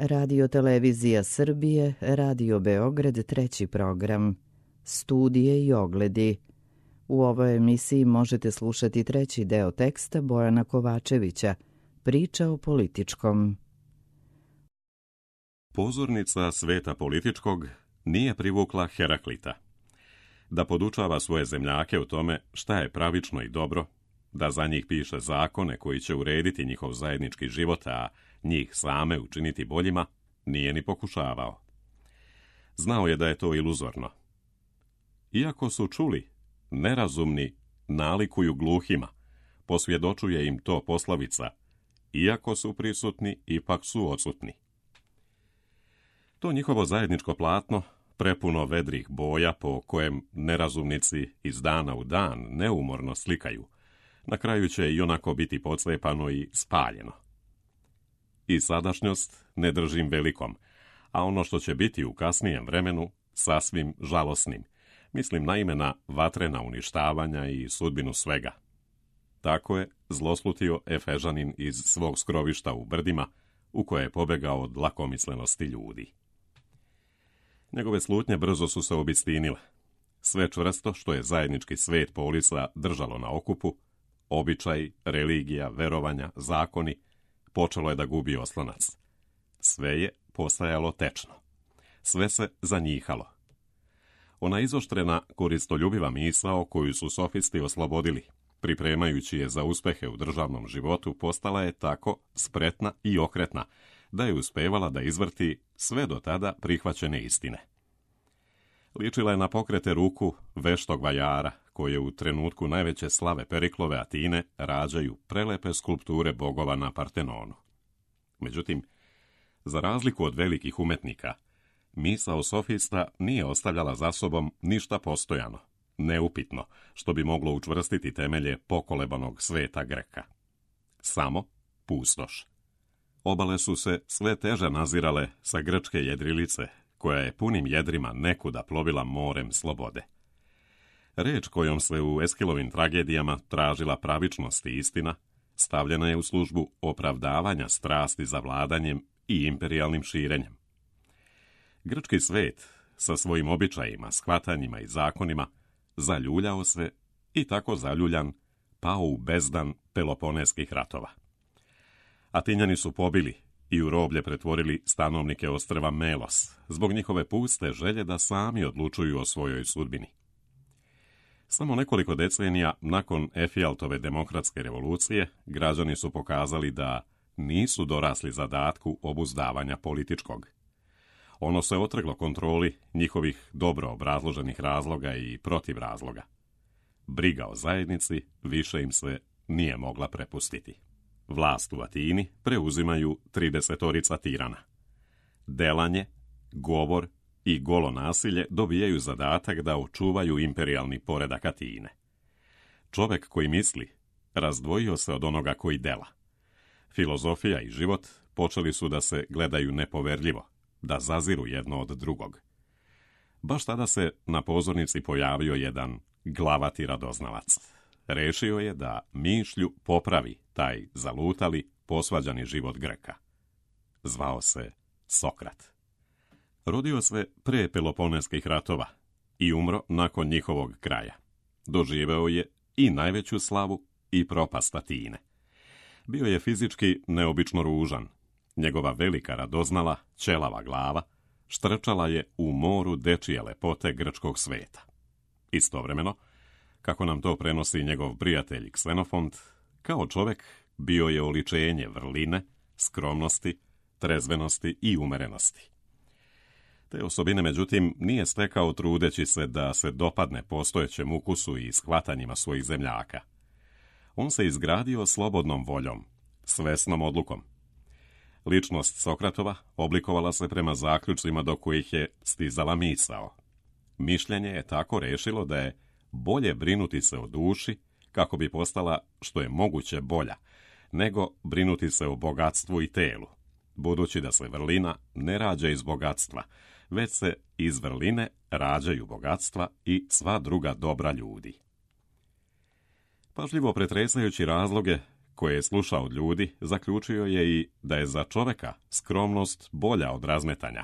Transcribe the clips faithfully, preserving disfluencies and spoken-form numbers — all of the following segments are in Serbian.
Radio Televizija Srbije, Radio Beograd, treći program. Studije i ogledi. U ovoj emisiji možete slušati treći deo teksta Bojana Kovačevića, Priča o političkom. Pozornica sveta političkog nije privukla Heraklita. Da podučava svoje zemljake u tome šta je pravično i dobro, da za njih piše zakone koji će urediti njihov zajednički život, a njih same učiniti boljima, nije ni pokušavao. Znao je da je to iluzorno. Iako su čuli, nerazumni nalikuju gluhima, posvjedočuje im to poslovica, iako su prisutni, ipak su odsutni. To njihovo zajedničko platno, prepuno vedrih boja po kojem nerazumnici iz dana u dan neumorno slikaju, na kraju će i onako biti podslepano i spaljeno. I sadašnjost ne držim velikom, a ono što će biti u kasnijem vremenu sasvim žalosnim. Mislim naime na vatrena uništavanja i sudbinu svega. Tako je zloslutio Efežanin iz svog skrovišta u brdima, u koje je pobegao od lakomislenosti ljudi. Njegove slutnje brzo su se obistinile. Sve čvrsto što je zajednički svet polisa držalo na okupu, običaj, religija, verovanja, zakoni, počelo je da gubi oslonac. Sve je postajalo tečno. Sve se zanjihalo. Ona izoštrena, koristoljubiva misao koju su sofisti oslobodili, pripremajući je za uspehe u državnom životu, postala je tako spretna i okretna, da je uspevala da izvrti sve do tada prihvaćene istine. Ličila je na pokrete ruku veštog vajara, koje u trenutku najveće slave Periklove Atine rađaju prelepe skulpture bogova na Partenonu. Međutim, za razliku od velikih umetnika, misao sofista nije ostavljala za sobom ništa postojano, neupitno, što bi moglo učvrstiti temelje pokolebanog sveta Greka. Samo pustoš. Obale su se sve teže nazirale sa grčke jedrilice, koja je punim jedrima nekuda plovila morem slobode. Reč kojom se u Eskilovim tragedijama tražila pravičnost i istina, stavljena je u službu opravdavanja strasti za vladanjem i imperijalnim širenjem. Grčki svet, sa svojim običajima, shvatanjima i zakonima, zaljuljao se i tako zaljuljan pao u bezdan Peloponeskih ratova. Atinjani su pobili i u roblje pretvorili stanovnike ostrva Melos, zbog njihove puste želje da sami odlučuju o svojoj sudbini. Samo nekoliko decenija nakon Efijaltove demokratske revolucije, građani su pokazali da nisu dorasli zadatku obuzdavanja političkog. Ono se otrglo kontroli njihovih dobro obrazloženih razloga i protivrazloga. Briga o zajednici više im se nije mogla prepustiti. Vlast u Atini preuzimaju tridesetorica tirana. Delanje, govor i golo nasilje dobijaju zadatak da očuvaju imperijalni poredak Atine. Čovek koji misli razdvojio se od onoga koji dela. Filozofija i život počeli su da se gledaju nepoverljivo, da zaziru jedno od drugog. Baš tada se na pozornici pojavio jedan glavati radoznalac. Rešio je da mišlju popravi taj zalutali, posvađani život Greka. Zvao se Sokrat. Rodio se pre Peloponeskih ratova i umro nakon njihovog kraja. Doživeo je i najveću slavu i propast Atine. Bio je fizički neobično ružan. Njegova velika radoznala, ćelava glava, štrčala je u moru dečije lepote grčkog sveta. Istovremeno, kako nam to prenosi njegov prijatelj Ksenofont, kao čovek bio je oličenje vrline, skromnosti, trezvenosti i umerenosti. Te osobine, međutim, nije stekao trudeći se da se dopadne postojećem ukusu i shvatanjima svojih zemljaka. On se izgradio slobodnom voljom, svesnom odlukom. Ličnost Sokratova oblikovala se prema zaključcima do kojih je stizala misao. Mišljenje je tako rešilo da je bolje brinuti se o duši kako bi postala što je moguće bolja, nego brinuti se o bogatstvu i telu, budući da se vrlina ne rađa iz bogatstva, već se iz vrline rađaju bogatstva i sva druga dobra ljudi. Pažljivo pretresajući razloge koje je slušao od ljudi, zaključio je i da je za čoveka skromnost bolja od razmetanja,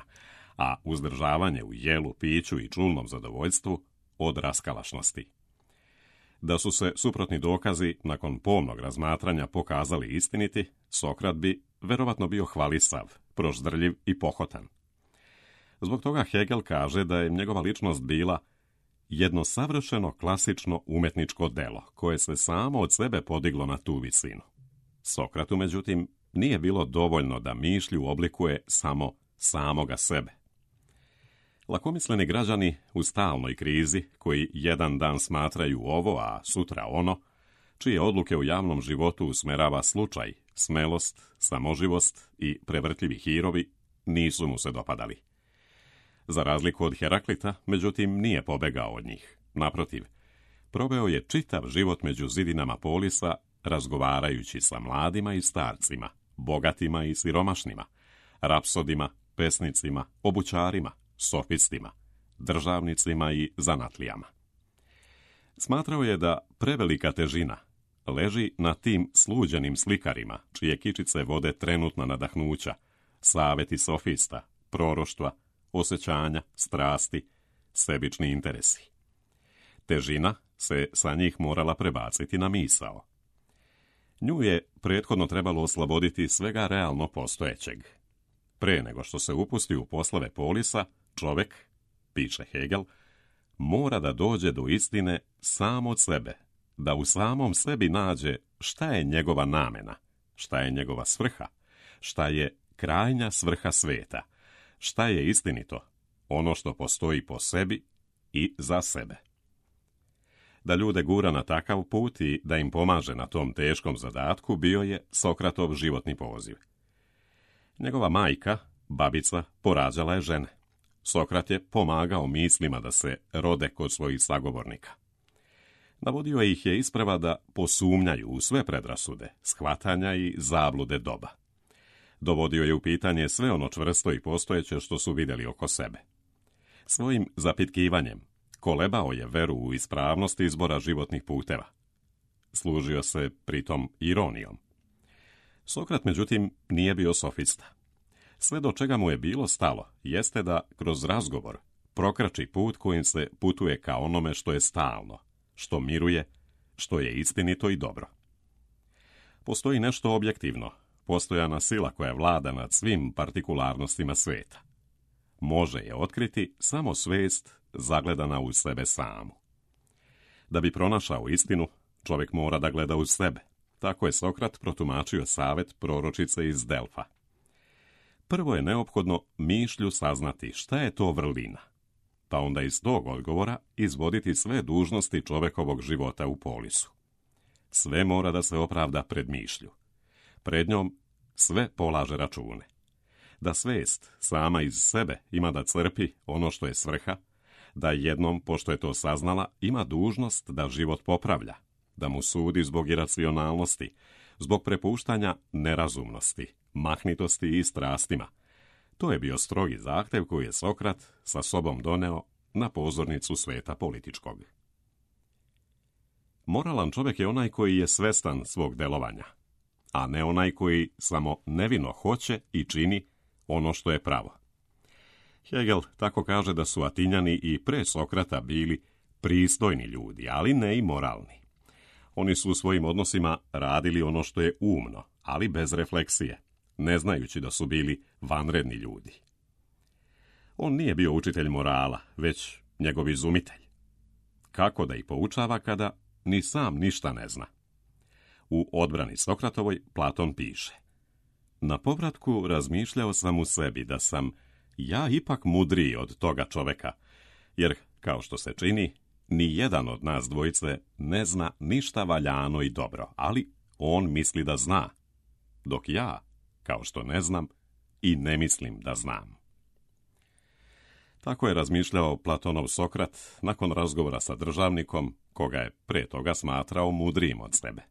a uzdržavanje u jelu, piću i čulnom zadovoljstvu od raskalašnosti. Da su se suprotni dokazi nakon pomnog razmatranja pokazali istiniti, Sokrat bi verovatno bio hvalisav, proždrljiv i pohotan. Zbog toga Hegel kaže da je njegova ličnost bila jedno savršeno klasično umetničko delo, koje se samo od sebe podiglo na tu visinu. Sokratu, međutim, nije bilo dovoljno da mišlju oblikuje samo samoga sebe. Lakomisleni građani u stalnoj krizi, koji jedan dan smatraju ovo, a sutra ono, čije odluke u javnom životu usmerava slučaj, smelost, samoživost i prevrtljivi hirovi, nisu mu se dopadali. Za razliku od Heraklita, međutim, nije pobegao od njih. Naprotiv, proveo je čitav život među zidinama Polisa, razgovarajući sa mladima i starcima, bogatima i siromašnima, rapsodima, pesnicima, obućarima, sofistima, državnicima i zanatlijama. Smatrao je da prevelika težina leži na tim sluđenim slikarima, čije kičice vode trenutna nadahnuća, saveti sofista, proroštva, osjećanja, strasti, sebični interesi. Težina se sa njih morala prebaciti na misao. Nju je prethodno trebalo osloboditi svega realno postojećeg. Pre nego što se upusti u poslove Polisa, čovjek, piše Hegel, mora da dođe do istine sam od sebe, da u samom sebi nađe šta je njegova namena, šta je njegova svrha, šta je krajnja svrha sveta, šta je istinito, ono što postoji po sebi i za sebe. Da ljude gura na takav put i da im pomaže na tom teškom zadatku bio je Sokratov životni poziv. Njegova majka, babica, porađala je žene. Sokrat je pomagao mislima da se rode kod svojih sagovornika. Navodio ih je isprava da posumnjaju u sve predrasude, shvatanja i zablude doba. Dovodio je u pitanje sve ono čvrsto i postojeće što su vidjeli oko sebe. Svojim zapitkivanjem kolebao je veru u ispravnost izbora životnih puteva. Služio se pritom ironijom. Sokrat, međutim, nije bio sofista. Sve do čega mu je bilo stalo jeste da kroz razgovor prokrači put kojim se putuje ka onome što je stalno, što miruje, što je istinito i dobro. Postoji nešto objektivno, postojana sila koja vlada nad svim partikularnostima sveta. Može je otkriti samo svest zagledana u sebe samu. Da bi pronašao istinu, čovjek mora da gleda u sebe. Tako je Sokrat protumačio savet proročice iz Delfa. Prvo je neophodno mišlju saznati šta je to vrlina, pa onda iz tog odgovora izvoditi sve dužnosti čovjekovog života u Polisu. Sve mora da se opravda pred mišlju. Pred njom sve polaže račune. Da svest sama iz sebe ima da crpi ono što je svrha, da jednom, pošto je to saznala, ima dužnost da život popravlja, da mu sudi zbog iracionalnosti, zbog prepuštanja nerazumnosti, mahnitosti i strastima. To je bio strogi zahtev koji je Sokrat sa sobom doneo na pozornicu sveta političkog. Moralan čovjek je onaj koji je svestan svog delovanja, a ne onaj koji samo nevino hoće i čini ono što je pravo. Hegel tako kaže da su Atinjani i pre Sokrata bili pristojni ljudi, ali ne i moralni. Oni su u svojim odnosima radili ono što je umno, ali bez refleksije, ne znajući da su bili vanredni ljudi. On nije bio učitelj morala, već njegov izumitelj. Kako da ih poučava kada ni sam ništa ne zna? U odbrani Sokratovoj Platon piše: na povratku razmišljao sam u sebi da sam ja ipak mudriji od toga čoveka, jer, kao što se čini, ni jedan od nas dvojice ne zna ništa valjano i dobro, ali on misli da zna, dok ja, kao što ne znam, i ne mislim da znam. Tako je razmišljao Platonov Sokrat nakon razgovora sa državnikom, koga je pre toga smatrao mudrijim od sebe.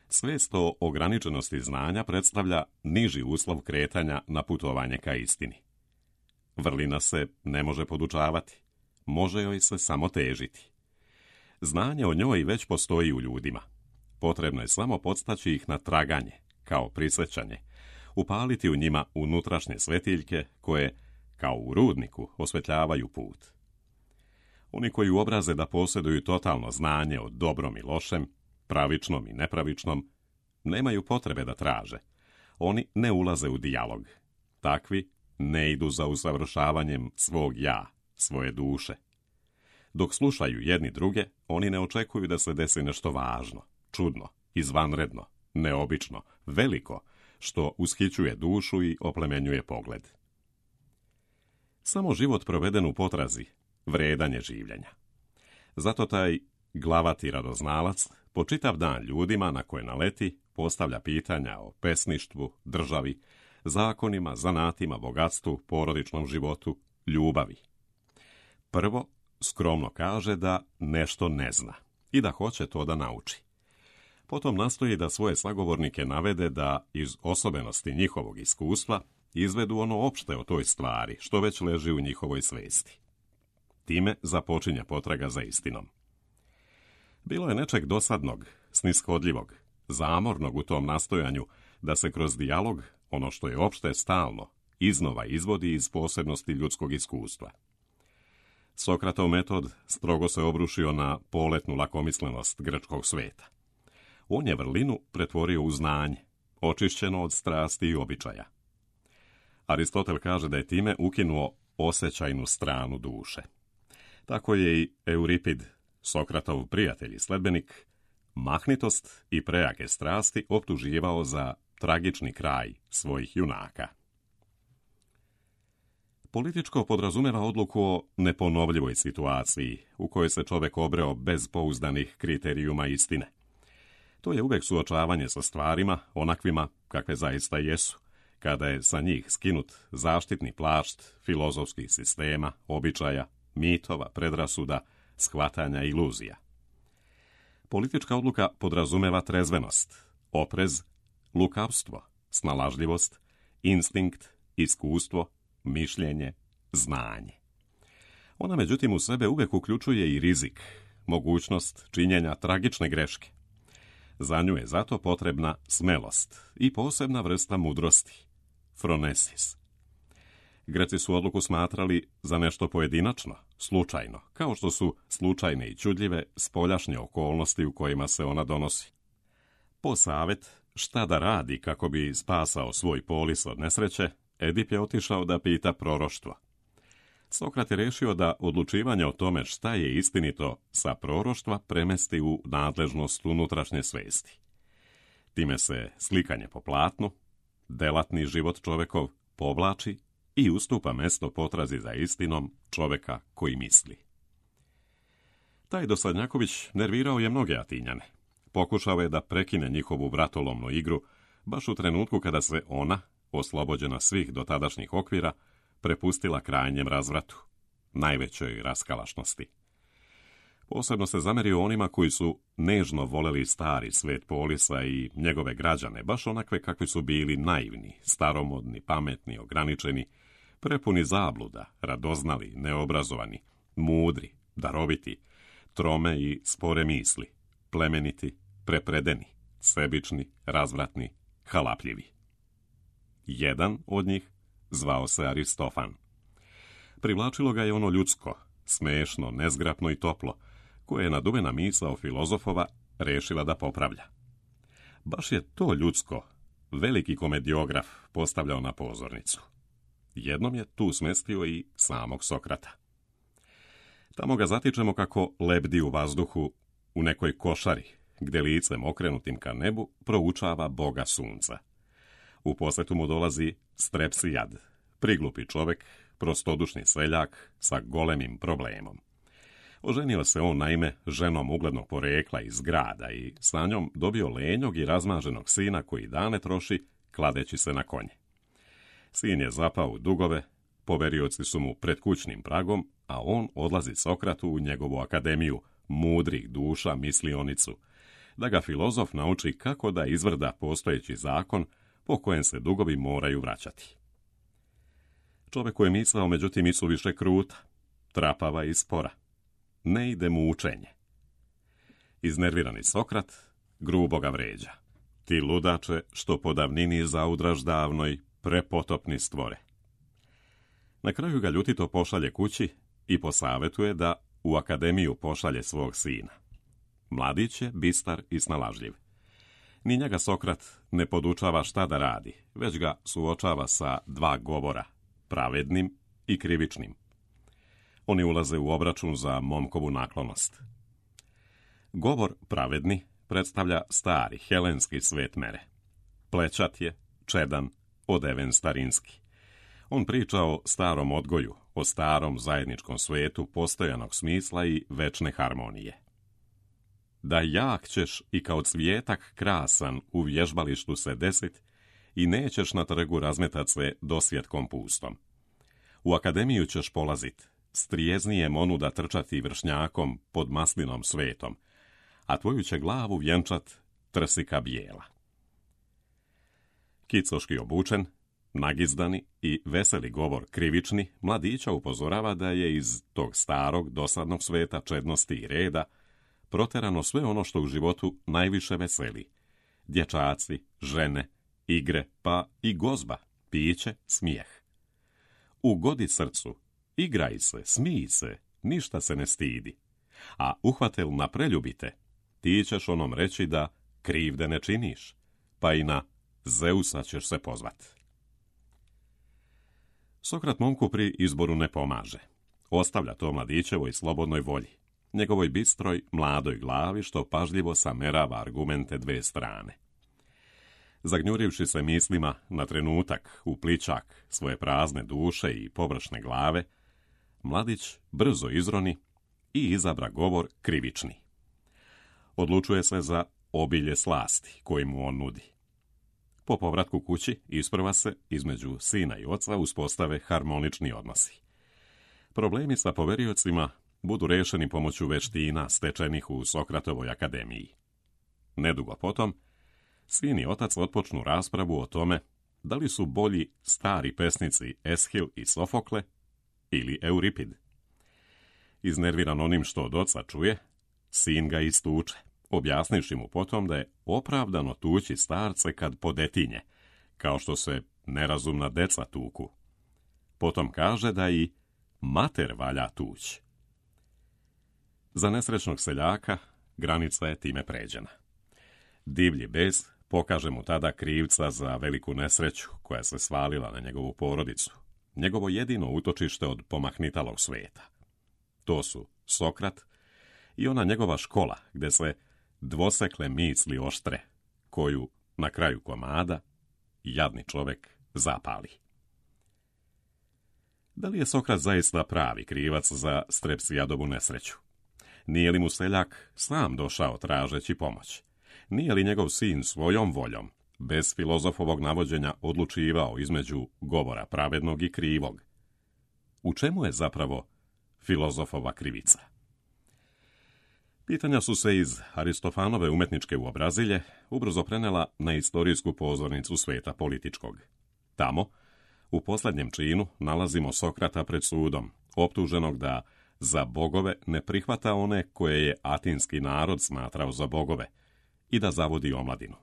Svest o ograničenosti znanja predstavlja niži uslov kretanja na putovanje ka istini. Vrlina se ne može podučavati, može joj se samo težiti. Znanje o njoj već postoji u ljudima. potrebno je samo podstaći ih na traganje, kao prisjećanje, upaliti u njima unutrašnje svetiljke koje, kao u rudniku, osvetljavaju put. Oni koji uobraze da posjeduju totalno znanje o dobrom i lošem, pravičnom i nepravičnom, nemaju potrebe da traže. Oni ne ulaze u dijalog. Takvi ne idu za usavršavanjem svog ja, svoje duše. Dok slušaju jedni druge, oni ne očekuju da se desi nešto važno, čudno, izvanredno, neobično, veliko, što ushićuje dušu i oplemenjuje pogled. Samo život proveden u potrazi vredan je življenja. Zato taj glavati radoznalac po čitav dan ljudima na koje naleti postavlja pitanja o pesništvu, državi, zakonima, zanatima, bogatstvu, porodičnom životu, ljubavi. Prvo, skromno kaže da nešto ne zna i da hoće to da nauči. Potom nastoji da svoje sagovornike navede da iz osobenosti njihovog iskustva izvedu ono opšte o toj stvari, što već leži u njihovoj svesti. Time započinje potraga za istinom. Bilo je nečeg dosadnog, snishodljivog, zamornog u tom nastojanju da se kroz dijalog, ono što je opšte stalno, iznova izvodi iz posebnosti ljudskog iskustva. Sokratov metod strogo se obrušio na poletnu lakomislenost grčkog sveta. On je vrlinu pretvorio u znanje, očišćeno od strasti i običaja. Aristotel kaže da je time ukinuo osjećajnu stranu duše. Tako je i Euripid, Sokratov prijatelj i sledbenik, mahnitost i prejake strasti optuživao za tragični kraj svojih junaka. Političko podrazumeva odluku o neponovljivoj situaciji u kojoj se čovjek obreo bez pouzdanih kriterijuma istine. To je uvijek suočavanje sa stvarima onakvima kakve zaista jesu, kada je sa njih skinut zaštitni plašt filozofskih sistema, običaja, mitova, predrasuda, shvatanja i iluzija. Politička odluka podrazumeva trezvenost, oprez, lukavstvo, snalažljivost, instinkt, iskustvo, mišljenje, znanje. Ona međutim u sebe uvijek uključuje i rizik, mogućnost činjenja tragične greške. Za nju je zato potrebna smelost i posebna vrsta mudrosti, phronesis. Greci su odluku smatrali za nešto pojedinačno, slučajno, kao što su slučajne i čudljive spoljašnje okolnosti u kojima se ona donosi. Po savjet šta da radi kako bi spasao svoj polis od nesreće, Edip je otišao da pita proroštvo. Sokrat je rešio da odlučivanje o tome šta je istinito sa proroštva premesti u nadležnost unutrašnje svesti. Time se slikanje po platnu, delatni život čovekov povlači i ustupa mesto potrazi za istinom čoveka koji misli. Taj dosadnjaković nervirao je mnoge Atinjane. Pokušao je da prekine njihovu vratolomnu igru, baš u trenutku kada se ona, oslobođena svih dotadašnjih okvira, prepustila krajnjem razvratu, najvećoj raskalašnosti. Posebno se zamerio onima koji su nežno voleli stari svet polisa i njegove građane, baš onakve kakvi su bili naivni, staromodni, pametni, ograničeni, prepuni zabluda, radoznali, neobrazovani, mudri, daroviti, trome i spore misli, plemeniti, prepredeni, sebični, razvratni, halapljivi. Jedan od njih zvao se Aristofan. Privlačilo ga je ono ljudsko, smešno, nezgrapno i toplo, koje je naduvena misao filozofova rešila da popravlja. Baš je to ljudsko veliki komediograf postavljao na pozornicu. Jednom je tu smestio i samog Sokrata. Tamo ga zatičemo kako lebdi u vazduhu u nekoj košari, gde licem okrenutim ka nebu proučava Boga sunca. U posjetu mu dolazi Strepsijad, priglupi čovek, prostodušni seljak sa golemim problemom. Oženio se on naime ženom uglednog porekla iz grada i sa njom dobio lenjog i razmaženog sina koji dane troši kladeći se na konje. Sin je zapao u dugove, poverioci su mu pred kućnim pragom, a on odlazi Sokratu u njegovu akademiju mudrih duša mislionicu, da ga filozof nauči kako da izvrda postojeći zakon po kojem se dugovi moraju vraćati. Čovjeku je misao, međutim, isu više kruta, trapava i spora. Ne ide mu učenje. Iznervirani Sokrat grubo ga vređa. Ti ludače što po davnini zaudraž davnoj, prepotopni stvore. Na kraju ga ljutito pošalje kući i posavetuje da u akademiju pošalje svog sina. Mladić je bistar i snalažljiv. Ni njega Sokrat ne podučava šta da radi, već ga suočava sa dva govora, pravednim i krivičnim. Oni ulaze u obračun za momkovu naklonost. Govor pravedni predstavlja stari helenski svet mere. Plećat je, čedan, odeven starinski. On priča o starom odgoju, o starom zajedničkom svetu postojanog smisla i večne harmonije. Da jak ćeš i kao cvijetak krasan u vježbalištu se desit i nećeš na trgu razmetat se dosvjetkom pustom. U akademiju ćeš polazit, strijeznije monuda trčati vršnjakom pod maslinom svetom, a tvoju će glavu vjenčat trsika bijela. Kicoški obučen, nagizdani i veseli govor krivični, mladića upozorava da je iz tog starog, dosadnog sveta čednosti i reda proterano sve ono što u životu najviše veseli. Dječaci, žene, igre, pa i gozba, piće, smijeh. Ugodi srcu, igraj se, smij se, ništa se ne stidi. A uhvatel na preljubite, ti ćeš onom reći da krivde ne činiš, pa i na Zeusa ćeš se pozvat. Sokrat momku pri izboru ne pomaže. Ostavlja to mladićevoj slobodnoj volji, njegovoj bistroj, mladoj glavi što pažljivo samerava argumente dve strane. Zagnjurivši se mislima na trenutak u plićak svoje prazne duše i površne glave, mladić brzo izroni i izabra govor krivični. Odlučuje se za obilje slasti koji mu on nudi. Po povratku kući isprva se između sina i oca uspostave harmonični odnosi. Problemi sa poveriocima budu rešeni pomoću veština stečenih u Sokratovoj akademiji. Nedugo potom, sin i otac otpočnu raspravu o tome da li su bolji stari pesnici Eshil i Sofokle ili Euripid. Iznerviran onim što od oca čuje, sin ga istuče, objasnivši mu potom da je opravdano tući starce kad podetinje, kao što se nerazumna deca tuku. Potom kaže da i mater valja tući. Za nesrećnog seljaka granica je time pređena. Divlji bes pokaže mu tada krivca za veliku nesreću koja se svalila na njegovu porodicu, njegovo jedino utočište od pomahnitalog sveta. To su Sokrat i ona njegova škola gde se dvosekle misli oštre, koju na kraju komada jadni čovek zapali. Da li je Sokrat zaista pravi krivac za Strepsijadovu nesreću? Nije li mu seljak sam došao tražeći pomoć? Nije li njegov sin svojom voljom, bez filozofovog navođenja, odlučivao između govora pravednog i krivog? U čemu je zapravo filozofova krivica? Pitanja su se iz Aristofanove umetničke uobrazilje ubrzo prenela na istorijsku pozornicu sveta političkog. Tamo, u posljednjem činu, nalazimo Sokrata pred sudom, optuženog da za bogove ne prihvata one koje je atinski narod smatrao za bogove i da zavodi omladinu.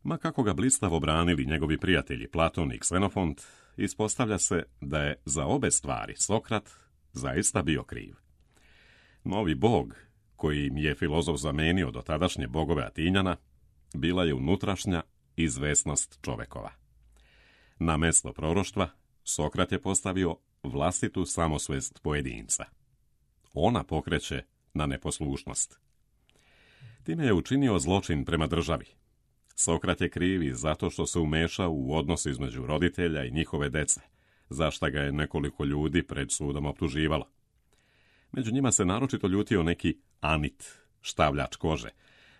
Ma kako ga blistavo branili njegovi prijatelji Platon i Ksenofont, ispostavlja se da je za obe stvari Sokrat zaista bio kriv. Novi bog, koji im je filozof zamenio do tadašnje bogove Atinjana, bila je unutrašnja izvesnost čovekova. Na mesto proroštva Sokrat je postavio vlastitu samosvest pojedinca. Ona pokreće na neposlušnost. Time je učinio zločin prema državi. Sokrat je kriv i zato što se umešao u odnos između roditelja i njihove dece, za šta ga je nekoliko ljudi pred sudom optuživalo. Među njima se naročito ljutio neki Anit, štavljač kože,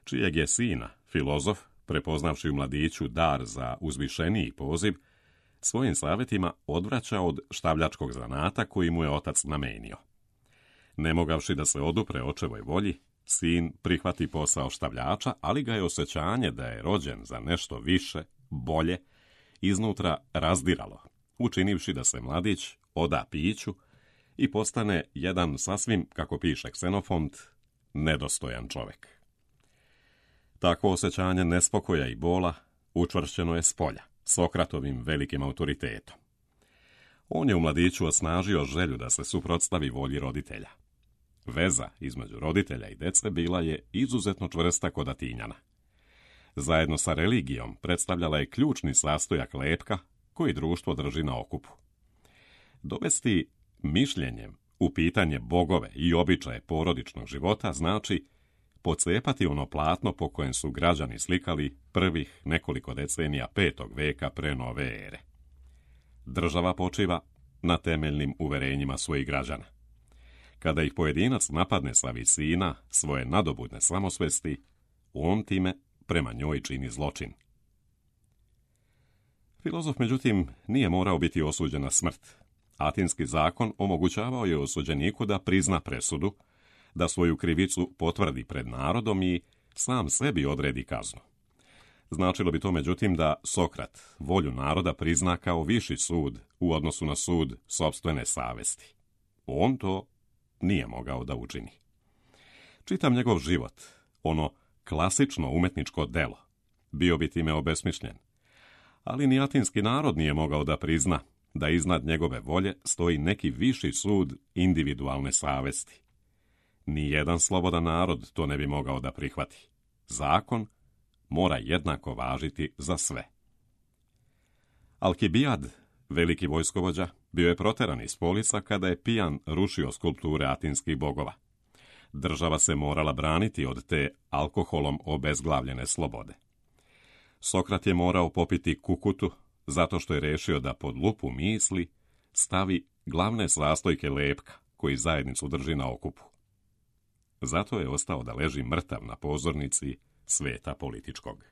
čijeg je sina, filozof, prepoznavši u mladiću dar za uzvišeniji poziv, svojim savjetima odvraća od štavljačkog zanata koji mu je otac namenio. Ne mogavši da se odupre očevoj volji, sin prihvati posao štavljača, ali ga je osjećanje da je rođen za nešto više, bolje, iznutra razdiralo, učinivši da se mladić oda piću i postane jedan sasvim, kako piše Ksenofont, nedostojan čovjek. Takvo osjećanje nespokoja i bola učvršćeno je s polja, Sokratovim velikim autoritetom. On je u mladiću osnažio želju da se suprotstavi volji roditelja. Veza između roditelja i dece bila je izuzetno čvrsta kod Atinjana. Zajedno sa religijom predstavljala je ključni sastojak lepka koji društvo drži na okupu. Dovesti mišljenjem u pitanje bogove i običaje porodičnog života znači pocepati ono platno po kojem su građani slikali prvih nekoliko decenija petog veka pre nove ere. Država počiva na temeljnim uverenjima svojih građana. Kada ih pojedinac napadne sa visina svoje nadobudne samosvesti, on time prema njoj čini zločin. Filozof, međutim, nije morao biti osuđen na smrt. Atinski zakon omogućavao je osuđeniku da prizna presudu, da svoju krivicu potvrdi pred narodom i sam sebi odredi kaznu. Značilo bi to, međutim, da Sokrat volju naroda prizna kao viši sud u odnosu na sud sopstvene savesti. On to nije mogao da učini. Čitam njegov život, ono klasično umetničko delo, bio bi time obesmišljen. Ali ni atinski narod nije mogao da prizna da iznad njegove volje stoji neki viši sud individualne savesti. Nijedan slobodan narod to ne bi mogao da prihvati. Zakon mora jednako važiti za sve. Alkibijad, veliki vojskovođa, bio je proteran iz Polisa kada je pijan rušio skulpture atinskih bogova. Država se morala braniti od te alkoholom obezglavljene slobode. Sokrat je morao popiti kukutu zato što je rešio da pod lupu misli stavi glavne sastojke lepka koji zajednicu drži na okupu. Zato je ostao da leži mrtav na pozornici sveta političkog.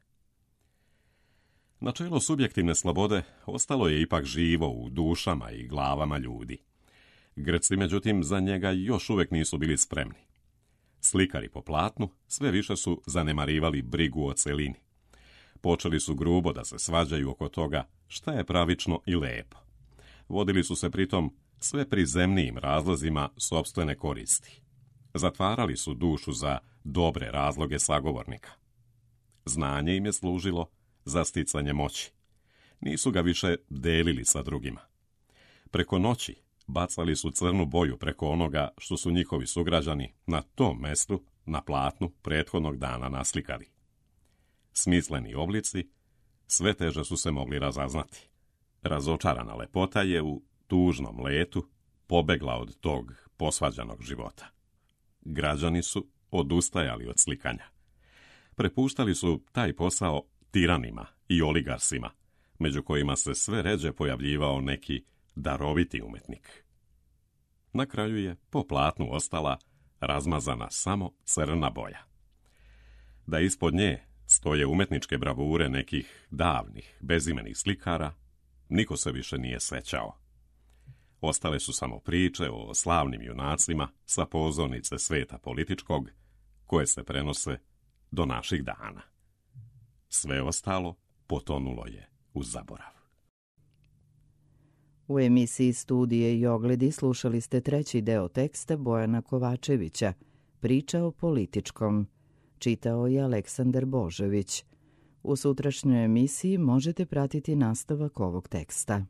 Načelo subjektivne slobode ostalo je ipak živo u dušama i glavama ljudi. Grci, međutim, za njega još uvijek nisu bili spremni. Slikari po platnu sve više su zanemarivali brigu o celini. Počeli su grubo da se svađaju oko toga šta je pravično i lepo. Vodili su se pritom sve prizemnijim razlozima sopstvene koristi. Zatvarali su dušu za dobre razloge sagovornika. Znanje im je služilo za sticanje moći. Nisu ga više delili sa drugima. Preko noći bacali su crnu boju preko onoga što su njihovi sugrađani na tom mestu, na platnu, prethodnog dana naslikali. Smisleni oblici sve teže su se mogli razaznati. Razočarana lepota je u tužnom letu pobegla od tog posvađanog života. Građani su odustajali od slikanja. Prepuštali su taj posao tiranima i oligarsima, među kojima se sve ređe pojavljivao neki daroviti umetnik. Na kraju je po platnu ostala razmazana samo crna boja. Da ispod nje stoje umetničke bravure nekih davnih, bezimenih slikara, niko se više nije sećao. Ostale su samo priče o slavnim junacima sa pozornice sveta političkog, koje se prenose do naših dana. Sve ostalo potonulo je u zaborav. U emisiji Studije i ogledi slušali ste treći deo teksta Bojana Kovačevića, Priča o političkom. Čitao je Aleksandar Božović. U sutrašnjoj emisiji možete pratiti nastavak ovog teksta.